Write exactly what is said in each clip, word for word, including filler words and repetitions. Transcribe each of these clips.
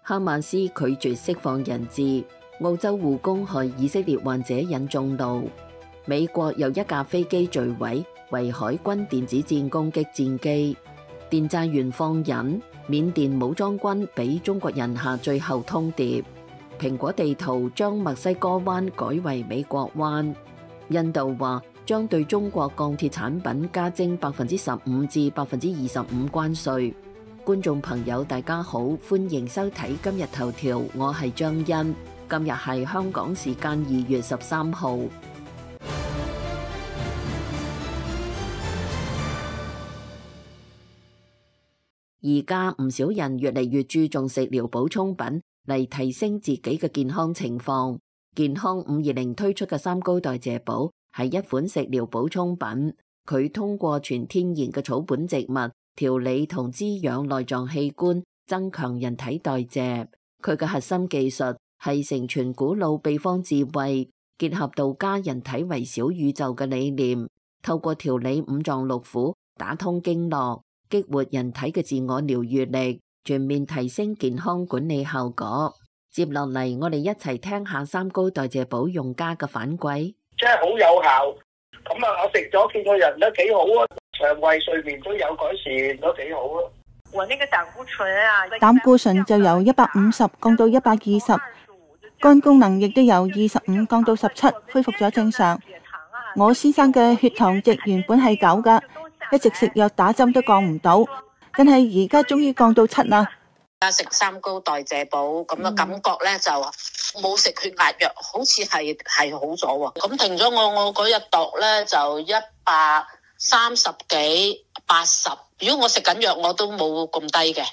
哈馬斯拒絕釋放人質，澳洲護工害以色列患者引眾怒。美國又一架飛機墜毀，為海軍電子戰攻擊戰機。電債員放人，緬甸武裝軍俾中國人下最後通牒。蘋果地圖將墨西哥灣改為美國灣。印度話將對中國鋼鐵產品加徵百分之十五至百分之二十五關稅。觀眾朋友大家好，歡迎收睇今日頭條，我係張欣。今日係香港時間二月十三號。而家唔少人越嚟越注重食療補充品嚟提升自己嘅健康情況。健康五二零推出嘅三高代謝寶係一款食療補充品，佢通過全天然嘅草本植物調理同滋養內臟器官，增強人體代謝。佢嘅核心技術係承傳古老秘方智慧，結合道家人體為小宇宙嘅理念，透過調理五臟六腑，打通經絡，激活人體嘅自我療癒力，全面提升健康管理效果。接落嚟，我哋一齊聽下三高代謝寶用家嘅反饋。真係好有效，咁啊，我食咗見個人都幾好啊，腸胃睡眠都有改善，都幾好啊。我那個膽固醇啊，膽固醇就由一百五十降到一百二十，肝功能亦都由二十五降到十七，恢復咗正常。我先生嘅血糖值原本係九噶，一直食藥打針都降唔到，但係而家終於降到七啦。而家食三高代謝寶咁嘅感覺咧，就冇食血壓藥，好似係係好咗喎。咁停咗我我嗰日度咧就一百三十幾八十。如果我食緊藥，我都冇咁低嘅。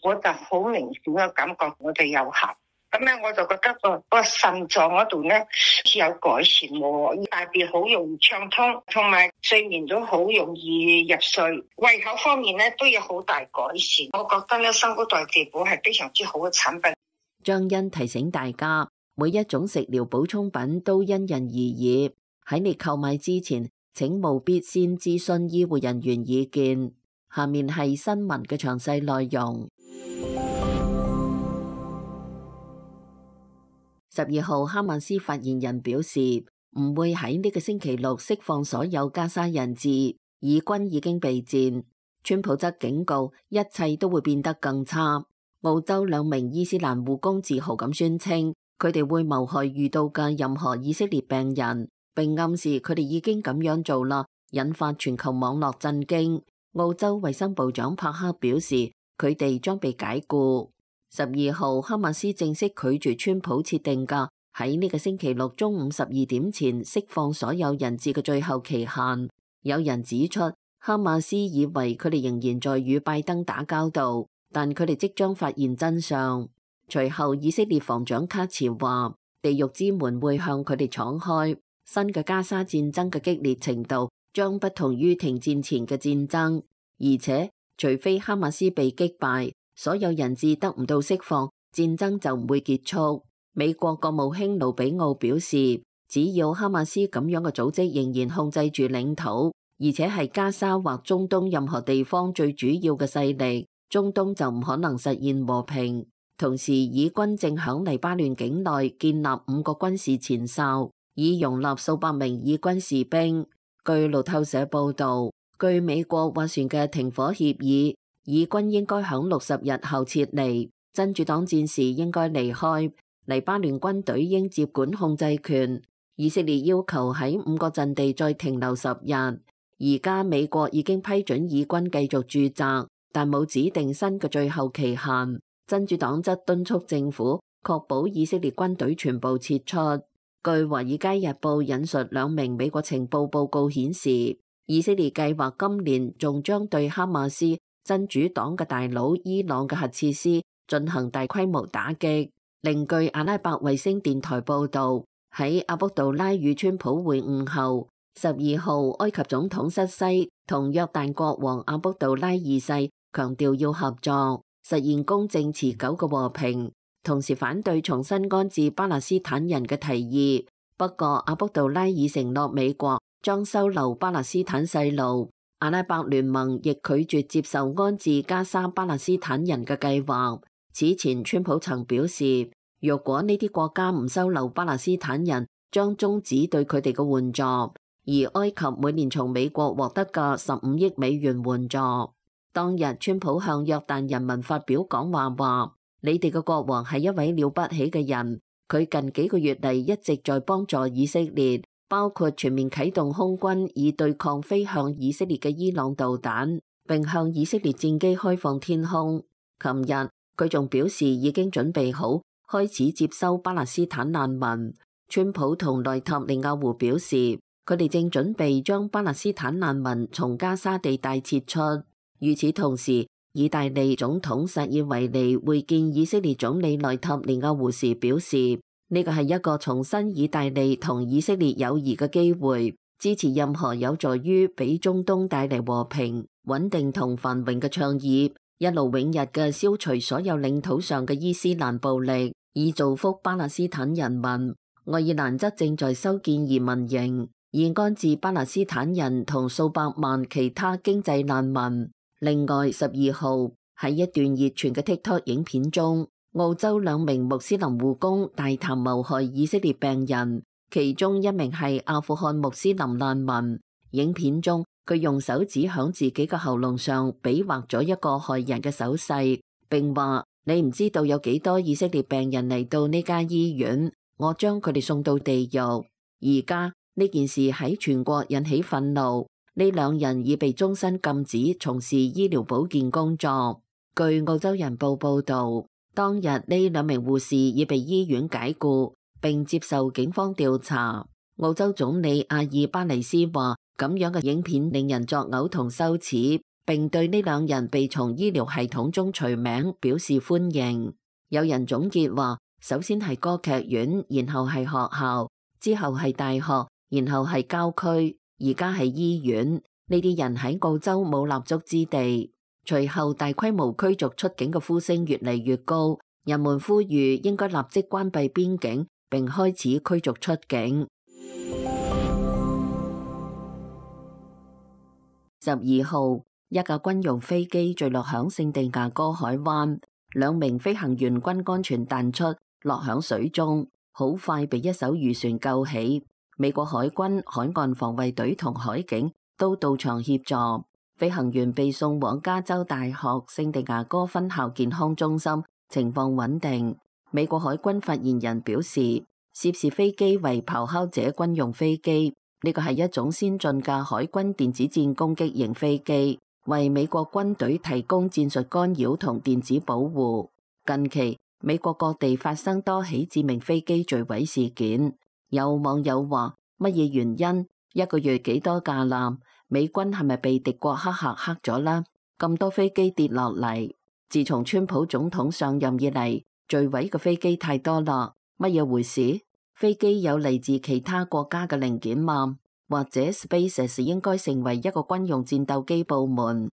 我就好明顯嘅感覺，我哋有效。咁咧我就覺得個個腎臟嗰度咧似有改善喎，大便好容易暢通，同埋睡眠都好容易入睡。胃口方面咧都有好大改善。我覺得咧三高代謝寶係非常之好嘅產品。張欣提醒大家，每一種食療補充品都因人而異，喺你購買之前，請務必先諮詢醫護人員意見。下面係新聞嘅詳細內容。十二號，哈馬斯發言人表示，唔會喺呢個星期六釋放所有加沙人質，以軍已經備戰。川普則警告，一切都會變得更差。澳洲兩名伊斯蘭護工自豪咁宣稱，佢哋會謀害遇到嘅任何以色列病人，並暗示佢哋已經咁樣做啦，引發全球網絡震驚。澳洲衛生部長帕克表示，佢哋將被解僱。十二號，哈馬斯正式拒絕川普設定嘅喺呢個星期六中午十二點前釋放所有人質嘅最後期限。有人指出，哈馬斯以為佢哋仍然在與拜登打交道，但佢哋即將發現真相。隨後，以色列防長卡茨話，地獄之門會向佢哋敞開。新嘅加沙戰爭嘅激烈程度將不同於停戰前嘅戰爭，而且除非哈馬斯被擊敗，所有人質得唔到釋放，戰爭就唔會結束。美國國務卿盧比奧表示，只要哈馬斯咁樣嘅組織仍然控制住領土，而且係加沙或中東任何地方最主要嘅勢力，中東就唔可能實現和平。同時，以軍正響黎巴嫩境內建立五個軍事前哨，以容納數百名以軍士兵。據路透社報道，據美國斡旋嘅停火協議，以軍應該響六十日後撤離，真主黨戰士應該離開，黎巴嫩軍隊應接管控制權。以色列要求喺五個陣地再停留十日。而家美國已經批准以軍繼續駐紮，但冇指定新嘅最後期限。真主黨則敦促政府確保以色列軍隊全部撤出。據《華爾街日報》引述兩名美國情報報告顯示，以色列計劃今年仲將對哈馬斯真主黨嘅大佬伊朗嘅核設施進行大規模打擊。另據阿拉伯衛星電台報道，喺阿卜杜拉與川普會晤後，十二號埃及總統塞西同約旦國王阿卜杜拉二世強調要合作，實現公正持久嘅和平，同時反對重新安置巴勒斯坦人嘅提議。不過阿卜杜拉已承諾美國將收留巴勒斯坦細路。阿拉伯聯盟亦拒絕接受安置加沙巴勒斯坦人嘅計劃。此前，川普曾表示，若果呢啲國家唔收留巴勒斯坦人，將終止對佢哋嘅援助。而埃及每年從美國獲得嘅十五億美元援助。當日，川普向約旦人民發表講話話：你哋嘅國王係一位了不起嘅人，佢近幾個月嚟一直在幫助以色列，包括全面啟動空軍以對抗飛向以色列嘅伊朗導彈，並向以色列戰機開放天空。琴日，佢仲表示已經準備好開始接收巴勒斯坦難民。川普同內塔尼亞胡表示，佢哋正準備將巴勒斯坦難民從加沙地帶撤出。與此同時，意大利總統薩爾維尼會見以色列總理內塔尼亞胡時表示，呢個係一個重申意大利同以色列友誼嘅機會，支持任何有助於俾中東帶嚟和平、穩定同繁榮嘅倡議，一勞永逸嘅消除所有領土上嘅伊斯蘭暴力，以造福巴勒斯坦人民。愛爾蘭則正在修建移民營，以安置巴勒斯坦人同數百萬其他經濟難民。另外，十二號喺一段熱傳嘅 TikTok 影片中，澳洲兩名穆斯林護工大談謀害以色列病人，其中一名係阿富汗穆斯林難民。影片中，佢用手指響自己嘅喉嚨上比劃咗一個害人嘅手勢，並話：你唔知道有幾多以色列病人嚟到呢間醫院，我將佢哋送到地獄。而家呢件事喺全國引起憤怒，呢兩人已被終身禁止從事醫療保健工作。據澳洲人報報道，當日呢兩名護士已被醫院解僱，並接受警方調查。澳洲總理阿爾巴尼斯話：咁樣嘅影片令人作嘔同羞恥，並對呢兩人被從醫療系統中除名表示歡迎。有人總結話：首先係歌劇院，然後係學校，之後係大學，然後係郊區，而家係醫院。呢啲人喺澳洲冇立足之地。隨後大規模驅逐出境嘅呼聲越嚟越高，人們呼籲應該立即關閉邊境，並開始驅逐出境。十二號，一架軍用飛機墜落響聖地牙哥海灣，兩名飛行員均安全彈出，落響水中，好快被一艘漁船救起。美國海軍、海岸防衛隊同海警都到場協助，飛行員被送往加州大學聖地牙哥分校健康中心，情況穩定。美國海軍發言人表示，涉事飛機為咆哮者軍用飛機，呢個係一種先進嘅海軍電子戰攻擊型飛機，為美國軍隊提供戰術干擾同電子保護。近期美國各地發生多起致命飛機墜毀事件，有網友話：乜嘢原因？一個月幾多架艦？美軍係咪被敵國黑客黑咗啦？咁多飛機跌落嚟，自從川普總統上任以嚟，墜毀嘅飛機太多啦，乜嘢回事？飛機有嚟自其他國家嘅零件嗎？或者 SpaceX 應該成為一個軍用戰鬥機部門？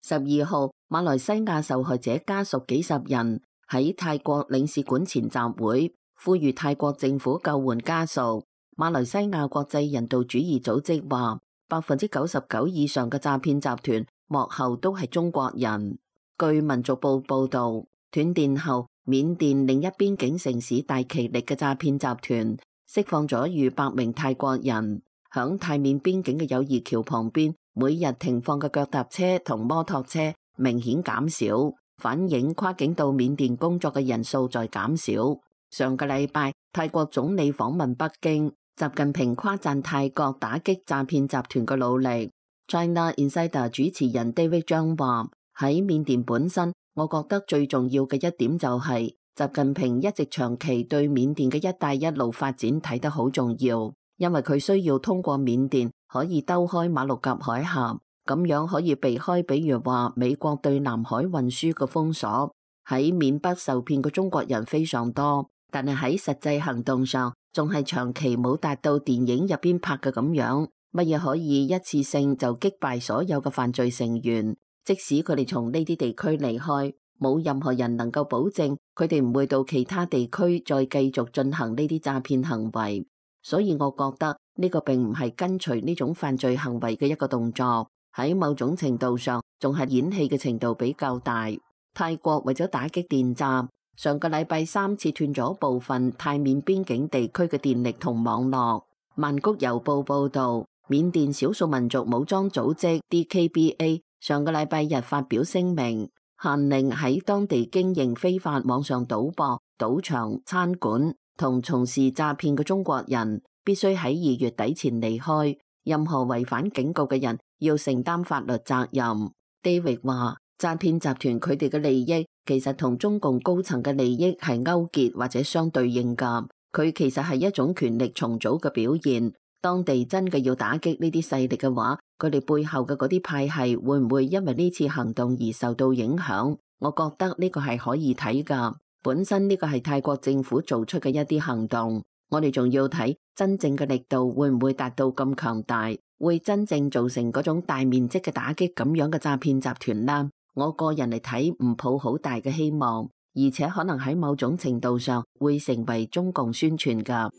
十二號，馬來西亞受害者家屬幾十人喺泰國領事館前集會，呼籲泰國政府救援家屬。馬來西亞國際人道主義組織話，百分之九十九以上嘅詐騙集團幕後都係中國人。據民族報報道，斷電後，緬甸另一邊境城市大其力嘅詐騙集團釋放咗逾百名泰國人，響泰緬邊境嘅友誼橋旁邊，每日停放嘅腳踏車同摩托車明顯減少，反映跨境到緬甸工作嘅人數在減少。上個禮拜，泰國總理訪問北京，習近平誇讚泰國打擊詐騙集團嘅努力。China Insider 主持人 David 張話：喺緬甸本身，我覺得最重要嘅一點就係習近平一直長期對緬甸嘅一帶一路發展睇得好重要，因為佢需要通過緬甸可以兜開馬六甲海峽，咁樣可以避開比如話美國對南海運輸嘅封鎖。喺緬北受騙嘅中國人非常多，但係喺實際行動上仲係長期冇達到電影入邊拍嘅咁樣，乜嘢可以一次性就擊敗所有嘅犯罪成員。即使佢哋從呢啲地區離開，冇任何人能夠保證佢哋唔會到其他地區再繼續進行呢啲詐騙行為。所以我覺得呢個並唔係跟隨呢種犯罪行為嘅一個動作，喺某種程度上仲係演戲嘅程度比較大。泰國為咗打擊電詐，上個禮拜三次斷咗部分泰緬邊境地區嘅電力同網絡。曼谷郵報報道，緬甸少數民族武裝組織 D K B A 上個禮拜日發表聲明，限令喺當地經營非法網上賭博、賭場、餐館同從事詐騙嘅中國人必須喺二月底前離開，任何違反警告嘅人要承擔法律責任。David 話，詐騙集團佢哋嘅利益其實同中共高層嘅利益係勾結或者相對應㗎，佢其實係一種權力重組嘅表現。當地真嘅要打擊呢啲勢力嘅話，佢哋背後嘅嗰啲派系會唔會因為呢次行動而受到影響？我覺得呢個係可以睇㗎。本身呢個係泰國政府做出嘅一啲行動，我哋仲要睇真正嘅力度會唔會達到咁強大，會真正造成嗰種大面積嘅打擊咁樣嘅詐騙集團啦。我個人嚟睇唔抱好大嘅希望，而且可能喺某種程度上會成為中共宣傳㗎。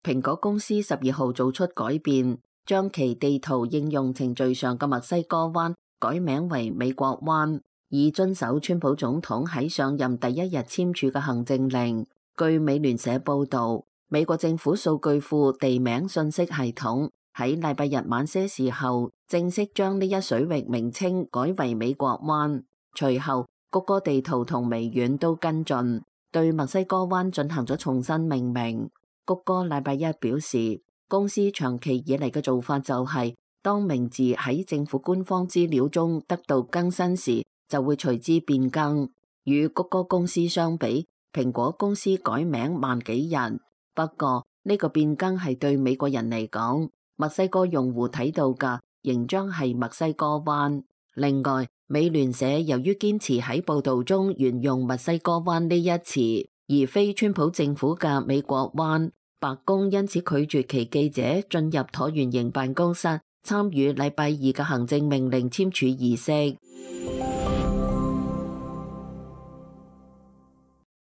蘋果公司十二號做出改變，將其地圖應用程序上嘅墨西哥灣改名為美國灣，以遵守川普總統喺上任第一日簽署嘅行政令。據美聯社報導，美國政府數據庫地名信息系統喺禮拜日晚些時候正式將呢一水域名稱改為美國灣，隨後谷歌地圖同微軟都跟進，對墨西哥灣進行咗重新命名。谷歌禮拜一表示，公司長期以嚟嘅做法就係、是，當名字喺政府官方資料中得到更新時，就會隨之變更。與谷歌公司相比，蘋果公司改名慢幾日。不過呢、這個變更係對美國人嚟講，墨西哥用戶睇到嘅仍將係墨西哥灣。另外，美聯社由於堅持喺報道中沿用墨西哥灣呢一詞，而非川普政府嘅美國灣，白宮因此拒絕其記者進入橢圓形辦公室參與禮拜二嘅行政命令簽署儀式。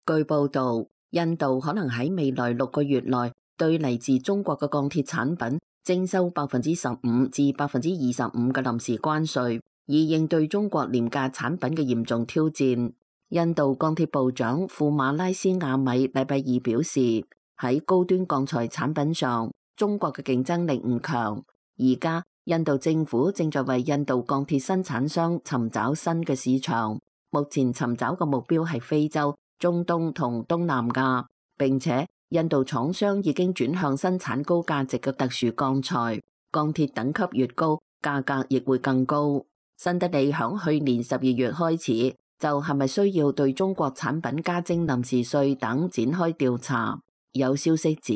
據報道，印度可能喺未來六個月內對嚟自中國嘅鋼鐵產品徵收百分之十五至百分之二十五嘅臨時關稅，以應對中國廉價產品嘅嚴重挑戰。印度鋼鐵部長庫馬拉斯亞米禮拜二表示，喺高端鋼材產品上，中國嘅競爭力唔強。而家印度政府正在為印度鋼鐵生產商尋找新嘅市場，目前尋找嘅目標係非洲、中東同東南亞，並且印度廠商已經轉向生產高價值嘅特殊鋼材，鋼鐵等級越高，價格亦會更高。新德里響去年十二月開始就係咪需要對中國產品加徵臨時稅等展開調查。有消息指，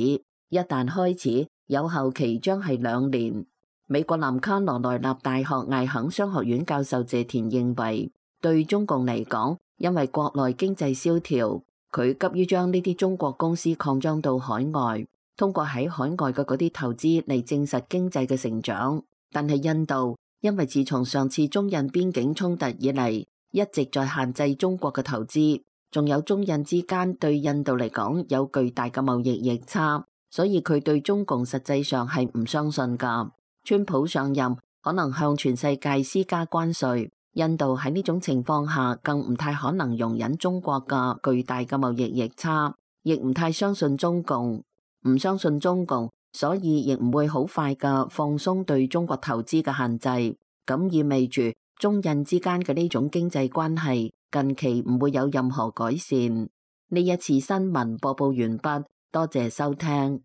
一旦開始，有效期將係兩年。美國南卡羅來納大學艾肯商學院教授謝田認為，對中共嚟講，因為國內經濟蕭條，佢急於將呢啲中國公司擴張到海外，通過喺海外嘅嗰啲投資嚟證實經濟嘅成長。但係印度因為自從上次中印邊境衝突以嚟，一直在限制中國嘅投資，仲有中印之間對印度嚟講有巨大嘅貿易逆差，所以佢對中共實際上係唔相信㗎。川普上任可能向全世界施加關稅，印度喺呢種情況下更唔太可能容忍中國嘅巨大嘅貿易逆差，亦唔太相信中共，唔相信中共，所以亦唔會好快嘅放鬆對中國投資嘅限制。咁意味住中印之間嘅呢種經濟關係近期唔會有任何改善。呢一次新聞播報完畢，多謝收聽。